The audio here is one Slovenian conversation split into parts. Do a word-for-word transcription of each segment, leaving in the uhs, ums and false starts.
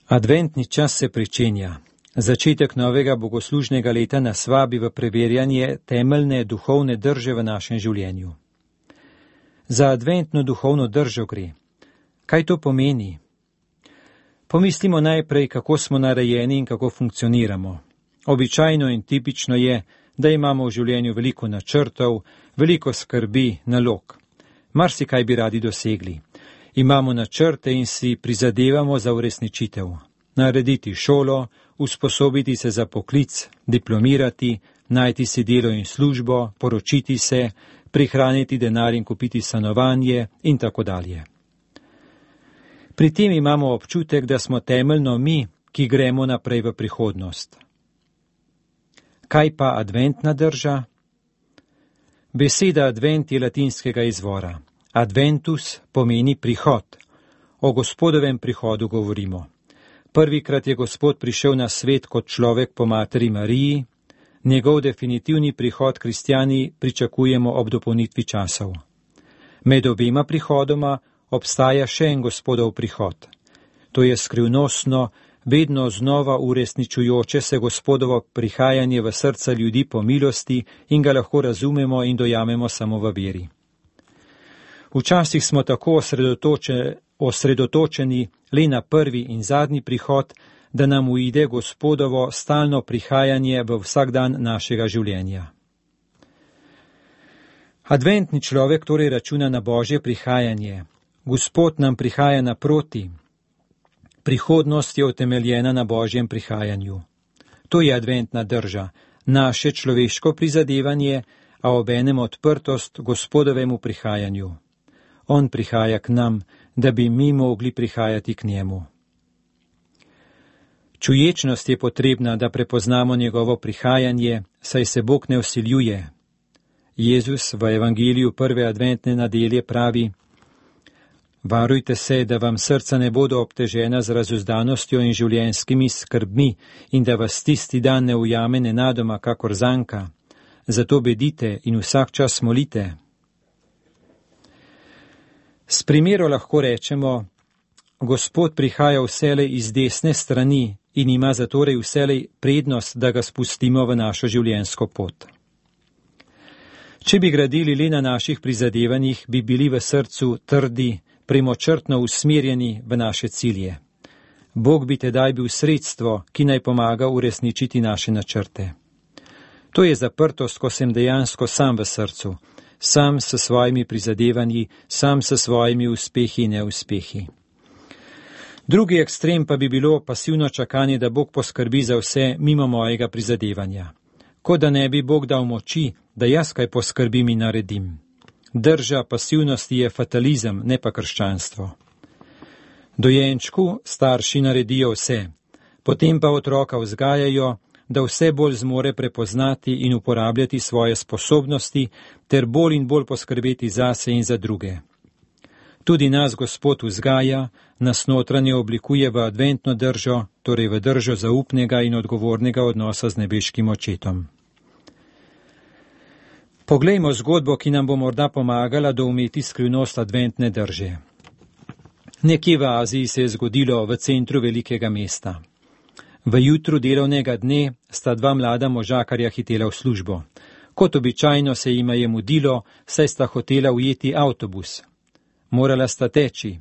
Adventni čas se pričenja. Začetek novega bogoslužnega leta nas vabi v preverjanje temeljne duhovne drže v našem življenju. Za adventno duhovno držo gre. Kaj to pomeni? Pomislimo najprej, kako smo narejeni in kako funkcioniramo. Običajno in tipično je, da imamo v življenju veliko načrtov, veliko skrbi, nalog. Marsikaj bi radi dosegli. Imamo načrte in si prizadevamo za uresničitev. Narediti šolo, usposobiti se za poklic, diplomirati, najti si delo in službo, poročiti se, prihraniti denar in kupiti stanovanje in tako dalje. Pri tem imamo občutek, da smo temeljno mi, ki gremo naprej v prihodnost. Kaj pa adventna drža? Beseda advent je latinskega izvora. Adventus pomeni prihod. O Gospodovem prihodu govorimo. Prvikrat je Gospod prišel na svet kot človek po materi Mariji, njegov definitivni prihod kristjani pričakujemo ob dopolnitvi časov. Med obema prihodoma obstaja še en Gospodov prihod. To je skrivnostno, vedno znova uresničujoče se Gospodovo prihajanje v srca ljudi po milosti in ga lahko razumemo in dojamemo samo v veri. Včasih smo tako osredotočeni, osredotočeni le na prvi in zadnji prihod, da nam uide Gospodovo stalno prihajanje v vsak dan našega življenja. Adventni človek torej računa na Božje prihajanje. Gospod nam prihaja naproti. Prihodnost je utemeljena na Božjem prihajanju. To je adventna drža, naše človeško prizadevanje, a obenem odprtost Gospodovemu prihajanju. On prihaja k nam, da bi mi mogli prihajati k njemu. Čuječnost je potrebna, da prepoznamo njegovo prihajanje, saj se Bog ne vsiljuje. Jezus v evangeliju prve adventne nedelje pravi: Varujte se, da vam srca ne bodo obtežena z razuzdanostjo in življenjskimi skrbmi in da vas tisti dan ne ujame nenadoma kakor zanka. Zato bedite in vsak čas molite. S primero lahko rečemo: Gospod prihaja vselej iz desne strani in ima zatorej vselej prednost, da ga spustimo v našo življenjsko pot. Če bi gradili le na naših prizadevanjih, bi bili v srcu trdi, premočrtno usmerjeni v naše cilje. Bog bi tedaj bil sredstvo, ki naj pomaga uresničiti naše načrte. To je zaprtost, ko sem dejansko sam v srcu, sam s svojimi prizadevanji, sam s svojimi uspehi in neuspehi. Drugi ekstrem pa bi bilo pasivno čakanje, da Bog poskrbi za vse mimo mojega prizadevanja. Kot da ne bi Bog dal moči, da jaz kaj poskrbim in naredim. Drža pasivnosti je fatalizem, ne pa krščanstvo. Dojenčku starši naredijo vse, potem pa otroka vzgajajo, da vse bolj zmore prepoznati in uporabljati svoje sposobnosti ter bolj in bolj poskrbeti zase in za druge. Tudi nas Gospod vzgaja, nas notranje oblikuje v adventno držo, torej v držo zaupnega in odgovornega odnosa z nebeškim očetom. Poglejmo zgodbo, ki nam bo morda pomagala doumeti skrivnost adventne drže. Nekje v Aziji se je zgodilo v centru velikega mesta. V jutru delovnega dne sta dva mlada možakarja hitela v službo. Kot običajno se jima je mudilo, saj sta hotela ujeti avtobus. Morala sta teči.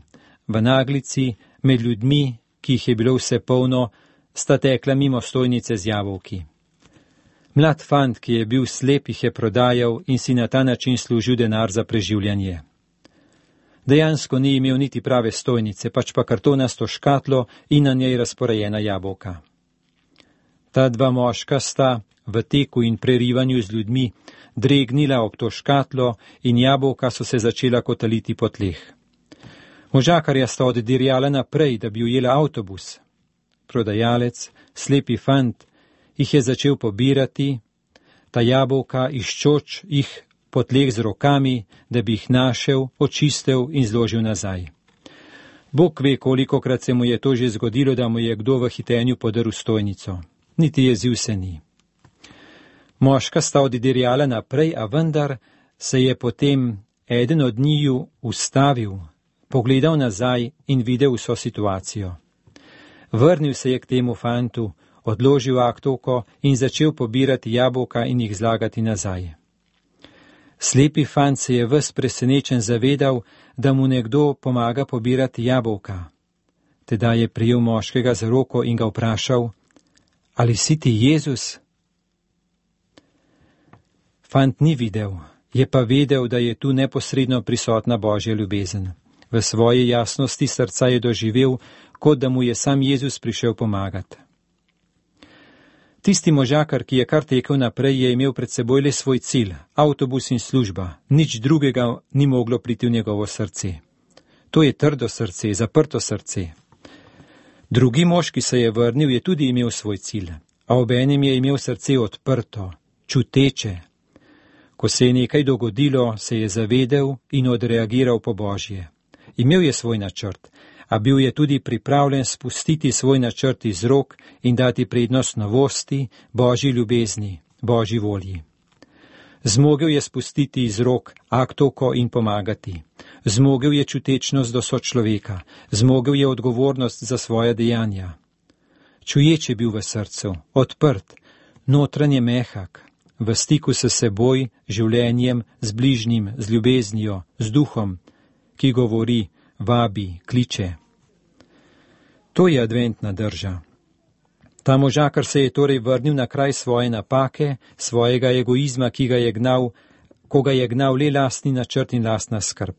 V naglici, med ljudmi, ki jih je bilo vse polno, sta tekla mimo stojnice z jabolki. Mlad fant, ki je bil slep, jih je prodajal in si na ta način služil denar za preživljanje. Dejansko ni imel niti prave stojnice, pač pa kartonasto škatlo in na njej razporejena jabolka. Ta dva moška sta v teku in prerivanju z ljudmi dregnila ob to škatlo in jabolka so se začela kotaliti po tleh. Možakarja sta oddirjala naprej, da bi ujela avtobus. Prodajalec, slepi fant, jih je začel pobirati, ta jabolka iščoč jih po tleh z rokami, da bi jih našel, očistil in zložil nazaj. Bog ve, kolikokrat se mu je to že zgodilo, da mu je kdo v hitenju podrl stojnico. Niti jezil se ni. Moška sta oddirjala naprej, a vendar se je potem eden od njiju ustavil, pogledal nazaj in videl vso situacijo. Vrnil se je k temu fantu, odložil aktovko in začel pobirati jabolka in jih zlagati nazaj. Slepi fant se je ves presenečen zavedal, da mu nekdo pomaga pobirati jabolka. Tedaj je prijel moškega za roko in ga vprašal: Ali si ti Jezus? Fant ni videl, je pa vedel, da je tu neposredno prisotna Božja ljubezen. V svoji jasnosti srca je doživel, kot da mu je sam Jezus prišel pomagati. Tisti možakar, ki je kar tekel naprej, je imel pred seboj le svoj cilj, avtobus in služba, nič drugega ni moglo priti v njegovo srce. To je trdo srce, zaprto srce. Drugi mož, ki se je vrnil, je tudi imel svoj cilj, a obenem je imel srce odprto, čuteče. Ko se je nekaj dogodilo, se je zavedel in odreagiral po Božje. Imel je svoj načrt, a bil je tudi pripravljen spustiti svoj načrt iz rok in dati prednost novosti, Božji ljubezni, Božji volji. Zmogel je spustiti iz rok aktovko in pomagati. Zmogel je čutečnost do sočloveka, zmogel je odgovornost za svoja dejanja. Čuječ je bil v srcu, odprt, notranje mehak, v stiku s seboj, življenjem, z bližnjim, z ljubeznijo, z duhom, ki govori, vabi, kliče. To je adventna drža. Ta možakar se je torej vrnil na kraj svoje napake, svojega egoizma, ki ga je gnal, ko ga je gnal le lastni načrt in lastna skrb.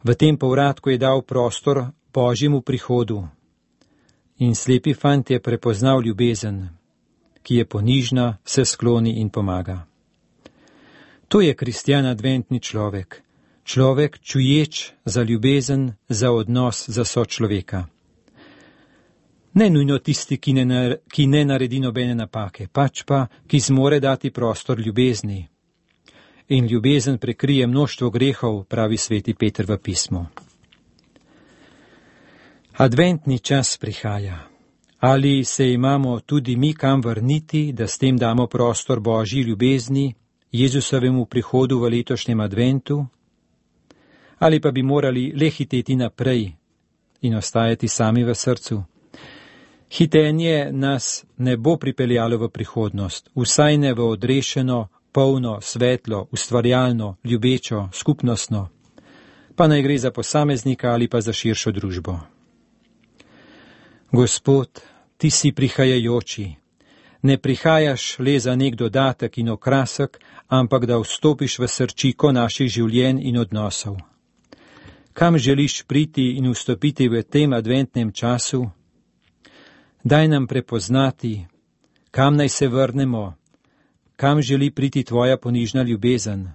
V tem povratku je dal prostor Božjemu prihodu. In slepi fant je prepoznal ljubezen, ki je ponižna, se skloni in pomaga. To je kristjan adventni človek. Človek čuječ za ljubezen, za odnos, za sočloveka. Ne nujno tisti, ki ne, ki ne naredi nobene napake, pač pa, ki zmore dati prostor ljubezni. In ljubezen prekrije mnoštvo grehov, pravi sveti Peter v pismu. Adventni čas prihaja. Ali se imamo tudi mi kam vrniti, da s tem damo prostor Božji ljubezni, Jezusovemu prihodu v letošnjem adventu? Ali pa bi morali le hiteti naprej in ostajati sami v srcu? Hitenje nas ne bo pripeljalo v prihodnost, vsaj ne v odrešeno, polno, svetlo, ustvarjalno, ljubečo, skupnostno, pa naj gre za posameznika ali pa za širšo družbo. Gospod, ti si prihajajoči. Ne prihajaš le za nek dodatek in okrasek, ampak da vstopiš v srčiko naših življenj in odnosov. Kam želiš priti in vstopiti v tem adventnem času? Daj nam prepoznati, kam naj se vrnemo, kam želi priti tvoja ponižna ljubezen.